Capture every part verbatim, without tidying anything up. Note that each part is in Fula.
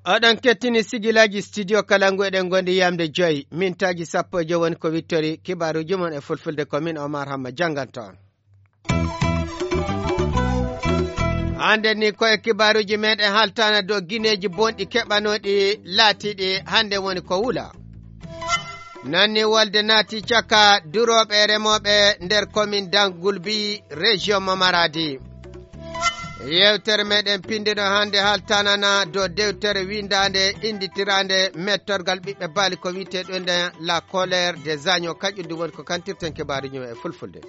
Oɗon kettini sigilaaji studio Kalangu, eɗen ngondi yamde joyi mintaaji sappo e joyi woni ko wittori kibaaruuji mon e fulfulde, ko min Omar Hamma jannganto on. Hannde ni ko e kibaaruuji meɗen haltana dow gineeji bonɗi keɓanooɗi laatiiɗi hannde woni ko wula. Nanni wolde naati caka durooɓe e remooɓe nder komin Dangulbi, région mo Maradi. Yewtere meɗen pinndino hannde haltanana dow dewtere winndaande innditiraande mettorgal ɓiɓɓe baali ko wiyetee ɗum nden La Colère des Agneaux. Kañum ɗum woni ko kantirten kibaaruuji men e fulfulde.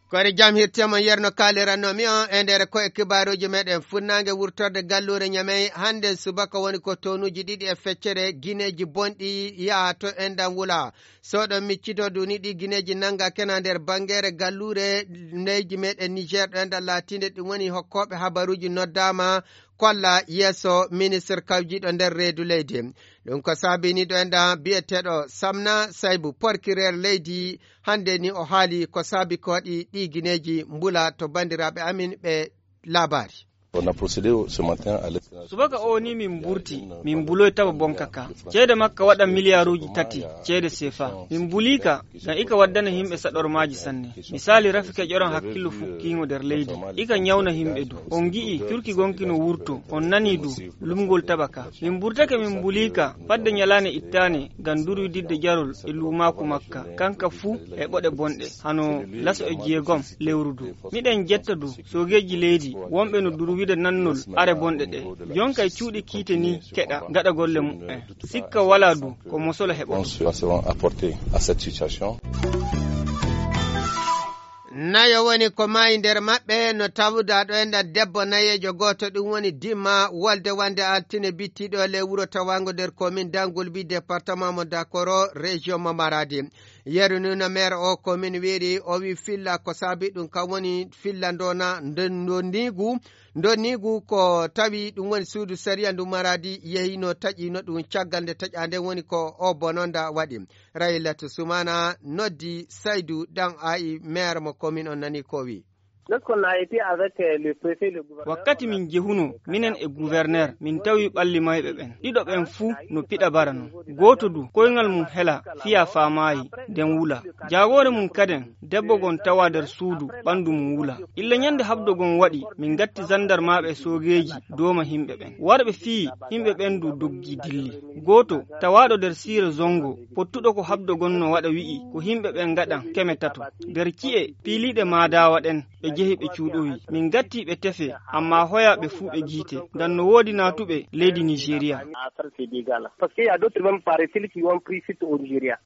Kori jam hirtemo yerno kalirannomi on e nder ko e kibaaruuji meɗen. Funnaange wurtorde galluure Ñamey hannde subaka woni ko tonuuji ɗiɗi e feccere gineeji bonɗi yaha to enɗan wula. So ɗon miccito duni ɗi gineeji nannga kena nder banngere galluure leydi meɗen Niger ɗo enɗan laatiinde ɗum woni hokkooɓe habaruuji noddaama kolla yeeso ministre kawjiiɗo nder reedu leydi. Ɗum ko saabini ɗo enɗan biyeteeɗo Samna Saybu, porkireer leydi, hannde ni o haali ko saabi ko waɗi ɗi gineeji mbula to banndiraaɓe amin ɓe laabaari. On a procédé ce matin à l'extraction. Subaka o ni min mburti, min mbuloy taba bonka ka. Ceede makka waɗa miliyaaruuji tati ceede sefa. Min mbulii ka ngam ika waddana yimɓe saɗormaaji sanne. Misali, rafi keƴoran hakkillo fukkiingo nder leydi. Ika ñawna yimɓe du. On ngi'i curki gonki no wurto, on nanii du lumngol taba ka. Min mburtake min mbulii ka fadde ñalaande ittaande ngam durwididde jarol e luumaaku makka. Kanka fuu e ɓoɗe bonɗe, hano laso e jeegom lewru du. Miɗen jetta du soogeeji leydi wonɓe no durwida nannol are bonɗe ɗe. Jonkay cuuɗi kiite ni keɗa ngaɗa golle muɓɓen. Sikka walaa du ko mosolo heɓoto. Réponse seront apportées à cette situation. Nayo woni ko maayi nder maɓɓe no tawda ɗo enɗan debbo nayeejo gooto, ɗum woni dimma wolde wande altine bittiɗo le wuro tawango nder komin Dangulbi, département mo Dakoro, région mo Maradi. Yeru ni no maire o komin wiiri, o wi filla ko saabi ɗum kam woni filla ndona ndo-, ndonniigu. Ndonniigu ko tawi ɗum woni suudu sariya ndu Maradi yehino taƴino ɗum caggal nde taƴa nden woni ko o bononda waɗi. Raylatu Sumana noddi Saydu Ɗan Ayi, maire mo komin on nani ko wi. Lorsqu'on a été avec, euh, le préfet, le gouverneur, wakkati min jehuno, minen e gouverneur, min tawi ɓalli mayɓe ɓen. Ɗiɗo ɓen fuu no piɗa bara non. Gooto du, koyngal mum hela, fiya faamaayi, nden wula. Jaagoore mum kaden, debbo gon tawa nder suudu, ɓandu mum wula. Illa ñande habdo gon waɗi, min gatti zandarmaaɓe e soogeeji, dooma himɓe ɓen. Warɓe fii, himɓe ɓen du doggi dilli. Gooto, tawaaɗo nder siire zongo, pottuɗo ko habdo gon no waɗa wi'i, ko himɓe ɓen ngaɗan, keme tato. Nder ci'e, piiliiɗe maadaawa ɗen, ɓe jehi ɓe cuuɗowi. Min gatti ɓe tefe, amma hoya ɓe fuu ɓe giite. Ngam no woodi naatuɓe leydi Nigeria. Parce qu'il y a d'autres même paraît-il qui ont pris fuite au Nigeria.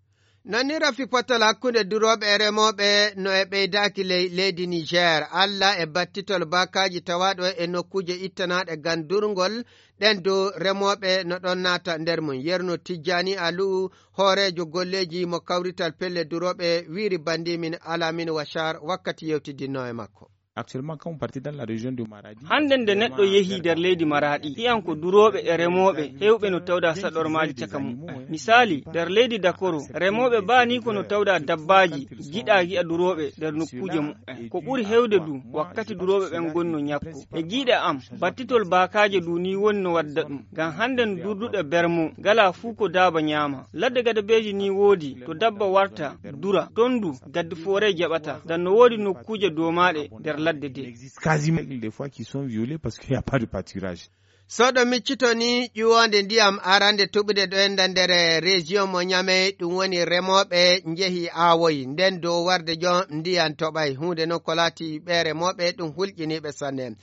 Non ni rafi potol hakkunde durooɓe e remooɓe no e ɓeydaaki ley leydi Niger. Alla e battitol baakaaji tawaaɗo e nokkuuje ittanaaɗe ngam durngol ɗen dow remooɓe no ɗon naata nder mum. Yerno Tijjani Alu, hooreejo golleeji mo kawrital pelle durooɓe, wiiri banndi min Alamin Washar wakkati yewtidinnoo e makko. Actuellement, quand vous partez dans la région de Maradi, hannden nde neɗɗo yehi nder leydi Maraɗi, hiyan ko durooɓe e remooɓe heewɓe no tawda saɗormaaji caka muɓɓen. Misaali, nder leydi Dakoro, remooɓe baa ni ko no tawda dabbaaji giɗaa gi'a durooɓe nder nokkuuje muɓɓen. Ko ɓuri heewde du, wakkati durooɓe ɓen ngoni no ñakko. E giiɗe am, battitol baakaaje du ni woni no wadda ɗum. Ngam hannden durduɗe bermo, ngalaa fuu ko daaba ñaama. Ladde gadabeeji ni woodi, to dabba warta, dura. Ton du, gaddi foore jaɓata. Ngam no woodi nokkuuje doomaaɗe nder ladde de. Quasiment des fois qui sont violés parce qu'il n'y a pas de pâturage. So ɗo miccito ni ƴuwoonde ndiyam arande tuɓude ɗo enda nder région mo Ñamey, ɗum woni remooɓe njehi aawoyi, nden dow warde jon ndiyan toɓay. Huunde non ko laati ɓe remooɓe ɗum hulƴiniiɓe sanne.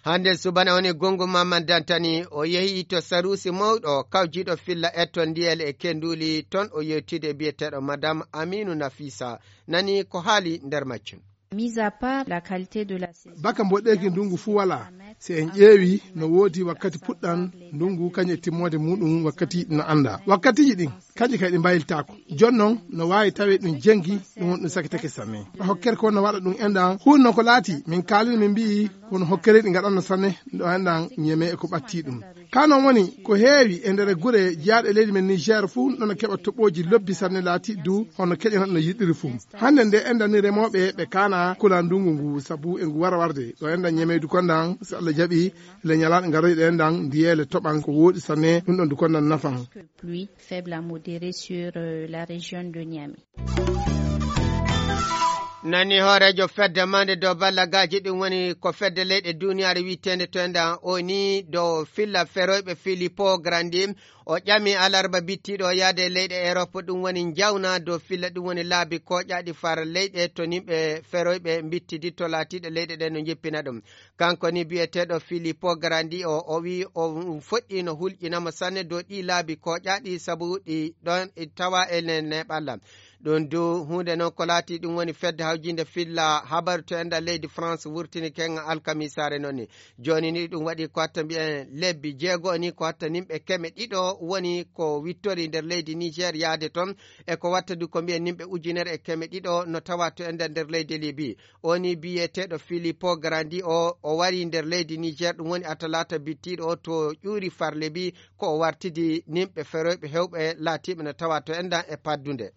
Hannde subana woni Gungu Mamman Dantani, o yehi to Saruusi mawɗo kawjiiɗo filla etto ndiyel e kenduli, ton o yewtide biyeteeɗo Madame Aminu Nafisa. Nani ko haali nder majjum. Mis à part la qualité de la saison. Baka mboɗeeki ndungu fuu walaa. Si en ƴeewi no woodi wakkati puɗɗan Ndungu kañum e timmoode muɗum wakkati no annda. Wakkatiiji ɗin, kañƴi kay ɗi mbayiltaako. Jooni noon, no waawi tawee ɗum jenngi, ɗum woni ɗum sakitake sanne. Hokkere ko no waɗa ɗum enɗan, huunde noon ko laati, min kaalini min mbi'i, kono hokkere ɗi ngaɗanno sanne, ɗo enɗan ñeme e ko ɓatti ɗum. Ka noon woni, ko heewi e nder gure jeyaaɗe leydi men Niger fuu, ɗon keɓa toɓooji lobbi sanne laati du, hono keƴanat no yiɗiri fuu. Hannde nde enɗan ni remooɓe ɓe kaana kula ndungu ngu, sabu e ngu wara warde. Ɗo enɗan ñemeydu kondan, so Allah jaɓi, le ñalaaɗe garoyɗe enɗan, ndiyeele toɓan ko wooɗi sanne, ɗum ɗon du kondan nafan. Pluie faible à modérée sur, euh, la région de Niamey. Nani hooreejo fedde mande dow ballagaaji, ɗum woni ko fedde leyɗe duniyaaru wiyeteende to enɗan O N U dow filla feroyɓe Filippo Grandi. O ƴami alarba bittiiɗo o yahde e leyɗe Erop, ɗum woni njawna dow filla, ɗum woni laabi kooƴaaɗi far leyɗe to nimɓe feroyɓe mbittidi to laatiiɗe leyɗe ɗen no njippina ɗum. Kanko ni biyeteeɗo Filippo Grandi o, o wi o fuɗɗi no hulƴinamo sanne dow ɗi laabi kooƴaaɗi sabu ɗi ɗon tawa e ne-, neeɓalla. Ɗum du huunde noon ko laati ɗum woni fedde hawjinde filla habaru to enɗan leydi France wurtini ken alkamisaare noon ni. Jooni ni ɗum waɗi ko hatta mbiyen lebbi jeego ni ko hatta nimɓe keme ɗiɗo woni ko wittori nder leydi Niger yahde toon. E ko watta du ko mbiyen nimɓe ujunere e keme ɗiɗo no tawa to enɗan nder leydi Libi. O ni biyeteeɗo Filippo Grandi o, o wari nder leydi Niger, ɗum woni a talaata bittiiɗo o to ƴuuri far Libi, ko o wartidi nimɓe feroyɓe hewɓe laatiiɓe no tawa to enɗan e paddunde.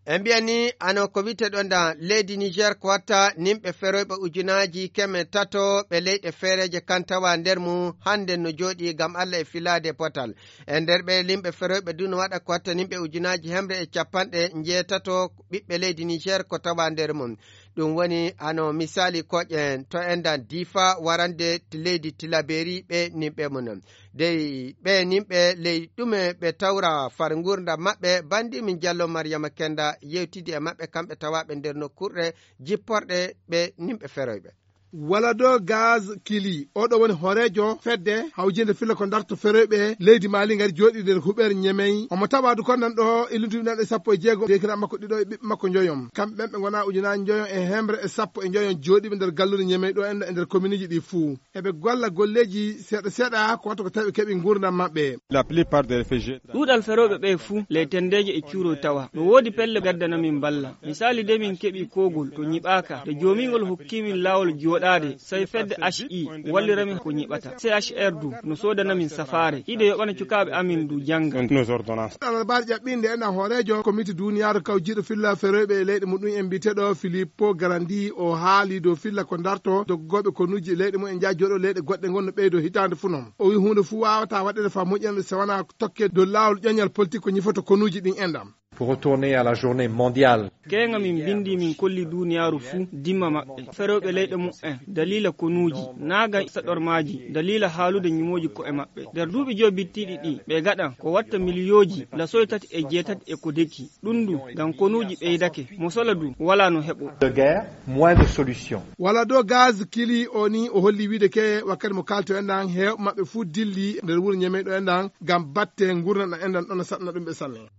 En mbiyan ni, ano ko wiyte ɗon ɗan, leydi Niger ko watta nimɓe feroyɓe ujunaaji keme tato ɓe leyɗe feereeje kan tawa nder mum hannde no jooɗii ngam Alla e filaade potal. E nder ɓe limɓe feroyɓe du no waɗa ko watta nimɓe ujunaaji hemre e capanɗe njeetato ɓiɓɓe leydi Niger ko tawa nder mum. Ɗum woni ano misaali koƴen to enɗan Difa warande ti-, leydi Tilaberi ɓe nimɓe mum. Dey ɓe nimɓe ley ɗume ɓe tawra far ngurndan maɓɓe? Banndi min Jallo Mariyama Kenda yewtidi e maɓɓe, kamɓe tawaaɓe nder nokkurɗe jipporɗe ɓe nimɓe feroyɓe. Walado Gaz Kili, oɗo woni hooreejo fedde hawjinde filla ko darto feroyɓe leydi Mali ngari jooɗii nder huɓeere Ñemey. Omo tawa du kondan ɗo illudu ɗiɗi e sappo e jeego, deekiraaɓe makko ɗiɗo e ɓiɓɓe makko njoyon. Kamɓe ɓen ɓe ngona ujunaaji njoyon e hemre e sappo e njoyon jooɗiiɓe nder galluure Ñemey ɗo enɗan e nder kominuuji ɗi fuu. Eɓe golla golleeji seeɗa seeɗa ko watta ko tawi ɓe keɓi ngurndan maɓɓe. La plupart des réfugiés. Ɗuuɗal ferooɓe ɓe fuu ley tendeeje e cuuroy tawa. No woodi pelle gaddana min balla. Misaali de min keɓi koogol to ñiɓaaka. De joomingol hokki min laawol jooɗaade, sey fedde H I wallira min ko ñiɓata. C H R du no soodana min safaare. Iɗe yoɓana cukaaɓe amin du jannga. Nos ordonnance. Alarbaare ƴaɓɓinde enɗan hooreejo komite duuniyaaru kawjiiɗo filla feroyɓe e leyɗe muɗum en mbiyeteeɗo Filippo Garandi o haali dow filla ko darto doggooɓe konuuji leyɗe mum en njaha jooɗo leyɗe goɗɗe ngon no ɓeydo hitaande fuu non. O wi huunde fuu waawata waɗeede faa moƴƴande so wanaa tokke dow laawol ƴoñal politik ko ñifoto konuuji ɗin enɗan. Pour retourner à la journée mondiale. Keeŋa min mbinndi min kolli duuniyaaru fuu dimma maɓɓe. Ferooɓe leyɗe muɓɓen daliila konuuji, naagan saɗormaaji, daliila haalude ñumooji ko'e maɓɓe. Nder duuɓi joy bittiiɗi ɗi, ɓe gaɗan ko watta miliyooji lasoy tati e jeetati e ko deki. Ɗum du, ngam konuuji ɓeydake, mo sola du, walaa no heɓo. De guerre, moins de solution. Wala do gaz kili o ni o holli wiide ke wakkati mo kalto en ɗan heewɓe maɓɓe fuu dilli nder wuro ñemeyɗo en ɗan ngam batte ngurndan en ɗan ɗon saɗna ɗum ɓe sanne.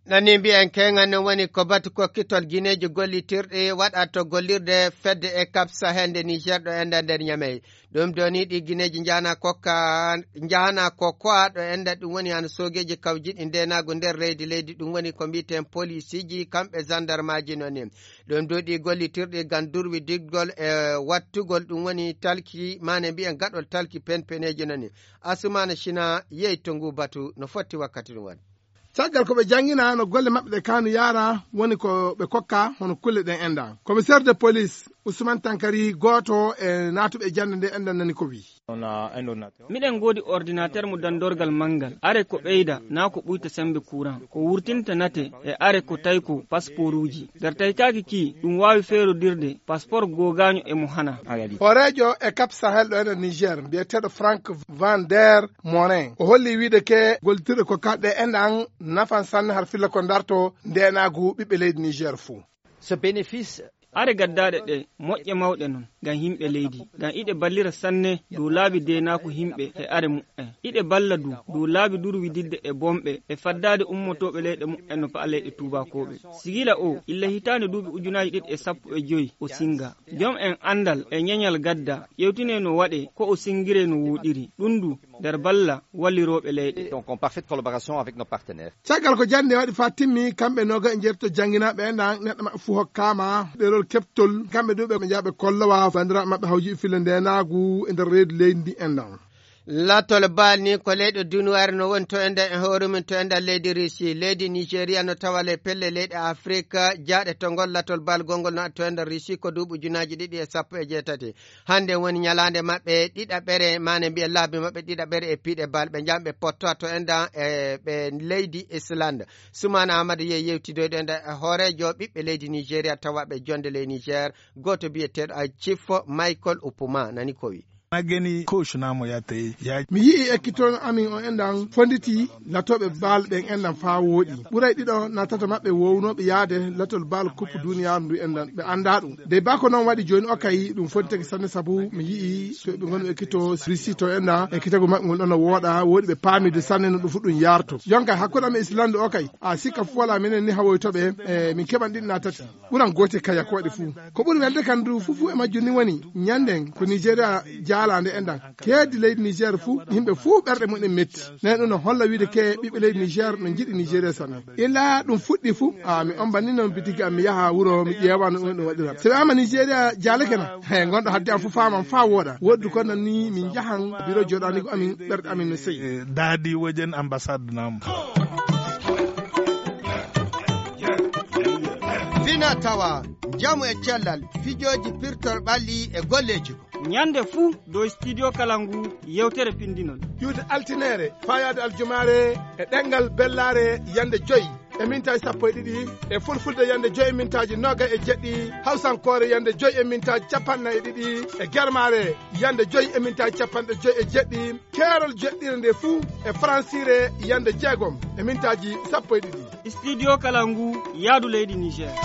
Nani mbiyen keŋan non woni ko batu kokkitol gineeji gollitirɗi waɗa to gollirde fedde e Cap Sahel nde Niger ɗo enɗan nder Ñamey. Ɗum doni ɗi gineeji njahana kokka, njahana ko ko'a ɗo enɗan ɗum woni hano soogeeji kawjiɗi ndenaagu nder leydi leydi ɗum woni ko mbiyeten polisiiji kamɓe zandarmaaji non ni. Ɗum du ɗi gollitirɗi ngam durwidiggol e wattugol ɗum woni talki maane mbiyen gaɗol talki penpeneeji non ni. Asumaana Sina yehi to ngu batu no fotti wakkati ɗum waɗi. Caggal ko ɓe janngina no golle maɓɓe ɗe kaanu yaara woni ko ɓe kokka hono kulle ɗen enɗan. Commissaire de police Ousmane Tankari gooto e naatuɓe jannde nde enɗan nani ko wi. Miɗen ngoodi ordinateur mo dandorgal manngal. Are ko ɓeyda naa ko ɓuyta semmbe kuran. Ko wurtinta nate e are ko tayko pasporuuji. Nder taykaaki ki ɗum waawi feerodirde paspor googaaño e mo hana. Hooreejo e Cap Sahel ɗo enɗan Niger mbiyeteeɗo Frank Van der Morin o holli wiide ke gollitirɗe ko kaɗɗe enɗan nafan sanne har filla ko darto ndenaagu ɓiɓɓe leydi Niger fuu. Ce bénéfice Are gaddaaɗe ɗe moƴƴe mawɗe non ngam yimɓe leydi, ngam iɗe ballira sanne dow laabi deenaaku yimɓe e are muɓɓen. Iɗe balla du dow laabi durwididde e bonɓe e faddaade ummotooɓe leyɗe muɓɓen no pa'a leyɗe tuubaakooɓe. Sigila o, illa hitaande duuɓi ujunaaji ɗiɗi e sappo e joy o singa. Jom en anndal e ñeñal gadda ƴewtine no waɗe ko o singire no wooɗiri. Ɗum du nder balla wallirooɓe leyɗe. Donc, en parfaite collaboration avec nos partenaires. Caggal ko jannde waɗi faa timmi, kamɓe nooga e njeetto jannginaaɓe en ɗan, neɗɗo maɓɓe fuu hokkaama ɗerol keɓtol. Kamɓe du ɓe njaha ɓe kollowa banndiraaɓe maɓɓe hawjiiɓe fille ndeenaagu e nder reedu leydi ndi en ɗan. Latol Baal ni ko leyɗe duniyaaru no woni to enɗan e hoore mum to enɗan leydi Russie. Leydi Nigeria no tawa le pelle leyɗe Afrique jaaɗe to ngol latol Baal gongol no to enɗan Russie ko duuɓi ujunaaji ɗiɗi e sappo e jeetati. Hannde woni ñalaande maɓɓe ɗiɗaɓere, maane mbiyen laabi maɓɓe ɗiɗaɓere e piiɗe Baal. Ɓe njahmi ɓe pottowa to enɗan e ɓe leydi Islande. Sumaana Aamadu yehi yewtidoyde enɗan e hooreejo ɓiɓɓe leydi Nigeria tawaaɓe jonnde ley Niger, gooto biyeteeɗo Chief Michael Upuma nani ko wi. Na gani coach namu ya ta yi, ya Mi yi'i ekkitoono amin on enɗan fonditi latooɓe Baal ɓen enɗan faa wooɗi. Ɓuray ɗiɗo naa tato maɓɓe woowunooɓe yaade latol Baal Coupe duniyaaru ndu enɗan ɓe anndaa ɗum. Dey baa ko non waɗi jooni, okay, ɗum fontitake sanne sabu mi yi'i to ɓe ngoni ɓe ekkitoo Russie to enɗan ekkitagu maɓɓe ngol ɗon no wooɗa, wooɗi ɓe paamii de sanne no ɗum fu ɗum yaarto. Jonka hakkunde amin e Islande, okay, a sikka fu walaa minen ni hawoytooɓe, e min keɓan ɗiɗi naa tati. Ɓuran gootel kaya ko waɗi fuu. Ko ɓuri welde kan du fuu fuu e majjum ni woni ñannden ko Nigeria jaalaande enɗan. Keedi leydi Niger fuu, yimɓe fuu ɓerɗe mumen metti. Nani ɗum no holla wiide ke ɓiɓɓe leydi Niger no njiɗi Nigeria sanne. Illa ɗum fuɗɗi fuu, a mi omban ni non bitiki am mi yaha wuro mi ƴeewa no ɗum waɗira. So wi'aama Nigeria jaalake na, he, ngonɗo hadde am fuu faaman faa wooɗa. Woodi ko nan ni min njahan biro jooɗaaniigu amin, ɓerɗe amin no seyi. Eh, daadi wajen ambassade namu. Fina tawa, njamu e cellal, fijooji pirtol ɓalli e golleeji. Ñande fuu dow Studio Kalangu yewtere pinndinol. Iwde altineere faa yaade aljumaare e ɗemngal bellaare yande joy e mintaaji sappo e ɗiɗi, e fulfulde yande joy e mintaaji noogay e jeɗɗi, hawsankoore yande joy e mintaaji capanɗe nayi e ɗiɗi, e germaare yande joy e mintaaji capanɗe joy e jeɗɗi, keerol joɗɗire nde fuu e faransiire yande jeegom e mintaaji sappo e ɗiɗi. Studio Kalangu yaadu leydi Niger.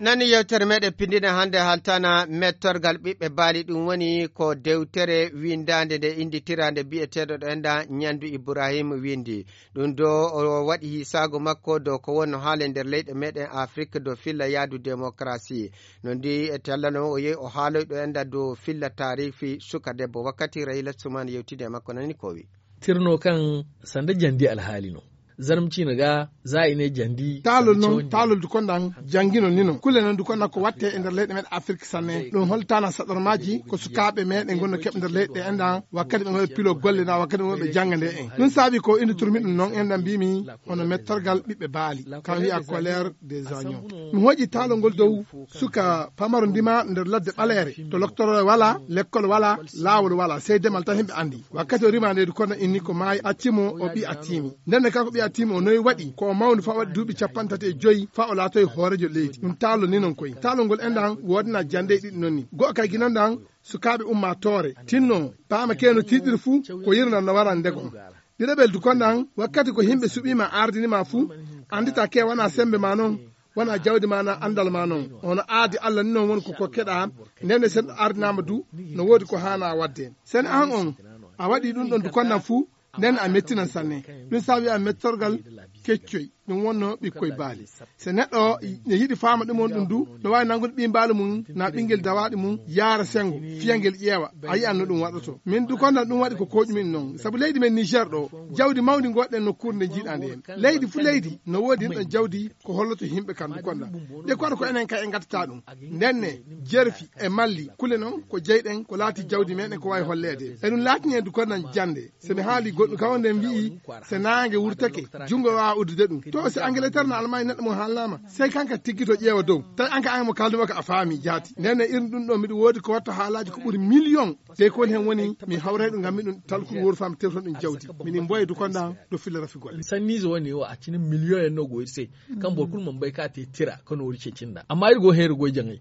Nani yewtere meɗen pindine hannde haltana mettorgal ɓiɓɓe baali, ɗum woni ko dewtere windaande nde innditiraande biyeteeɗo ɗo enɗan Ñandu Ibrahim windi. Ɗum do o waɗi hisaago makko dow ko wonno haale nder leyɗe meɗen Afrik dow filla yaadu démocratie. No ndi e tallano o yehi o haaloy ɗo enɗan dow filla taarifi suka debbo. Wakkati Rahila Suman yewtide e makko nani ko wi. Tirno kan sanda jandi alhaali no. Zarmcino ga za ine jandi taalol non, taalol dukondan jangino nino. Kule non dukondan ko watte e nder leyɗe meɗen Afrik sanne. Ɗum holtana saɗormaji ko sukaaɓe meɗen gonno keɓ nder leyɗe enɗan wakkati ɓe ngoɓe pilo golle na wakkati ɓe ngoɓe janga nde en. Ɗum saabi ko indi turmi ɗum non enɗan mbimi hono mettorgal ɓiɓɓe baali. Kan wi'a colère des agneaux. Mi hoƴi taalol ngol dow suka pamaro ndima nder ladde ɓaleere. To loktoro wala, lekkol wala, laawol wala, sey demal tan himɓe andi. Wakkati o rima nde dukondan inni ko maayi accimo o ɓi attimi. Nden ne kanko ɓi attimi o noyi waɗi ko o mawni fa waɗi duuɓi capanɗe tati e joyi fa o laatoyi hoorejo leydi. Ɗum taalol ni non koy. Taalol ngol enɗan woodana jande e ɗiɗi non ni. Go'o kay ginandan sukaaɓe ummaatoore tinno paama keno tiiɗiri fuu ko yirnan no waran ndego. Ɗiɗaɓel dukondan wakkati ko himɓe suɓima ardinima fuu andita ke wana sembe ma non, wana jawdi ma na andal ma non. Ono aadi Allah ni non woni ko kokkeɗa. Nden ne sen ardinama du no woodi ko haana wadde. Sen an on a waɗi ɗum ɗon dukondan fuu nden a mettinan sanne. Ɗum saabi a mettorgal keccoy ɗum wonno ɓikkoy baali. So neɗɗo ne yiɗi faama ɗum on ɗum du no waawi nanngude ɓii mbaali mum na ɓinngel dawaaɗi mum yaara senngo fiyangel ƴeewa. A yiyan no ɗum waɗoto min du kondan ɗum waɗi ko koƴumin noon sabu leydi men Niger ɗo jawdi mawndi ngoɗɗen nokkuure nde njiiɗaa nde en leydi fuu leydi no woodi ɗum ɗon jawdi. Ko holloto yimɓe kan du kondan nde koɗo ko enen kay en ngattata ɗum. Ndenne jerfi e malli kule noon ko jeyɗen ko laati jawdi meɗen ko waawi holleede eɗum laatini en du kondan jannde. So mi haali goɗɗum kam nden mbi'i so naange wurtake junngo waawa uddude ɗum to si Angleterre no Allemagne neɗɗo mo haalnaama sey kanka tiggito ƴeewa dow tawi anka an mo kaalduma ko a faami jaati. Nden e irin ɗum ɗo miɗo woodi ko watta haalaaji ko ɓuri million. Dey ko woni heen woni mi hawray ɗum ngam miɗum talkuru wooru faa mi tewton ɗum jawdi. Miɗum mboya du kondan ɗo filla rafi golle. Sanniiso woni o accina million en no goyri sey kam bor kul mo mbay ka te tira kono wori cecinda amma iri go heeru goy jangay.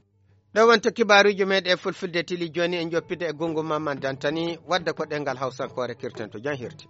Ɗo wonto kibaaruuji meɗen e fulfulde tili jooni en joppide e gongo mamman dantani wadda ko ɗengal hawsankoore kirtanto jan hirti.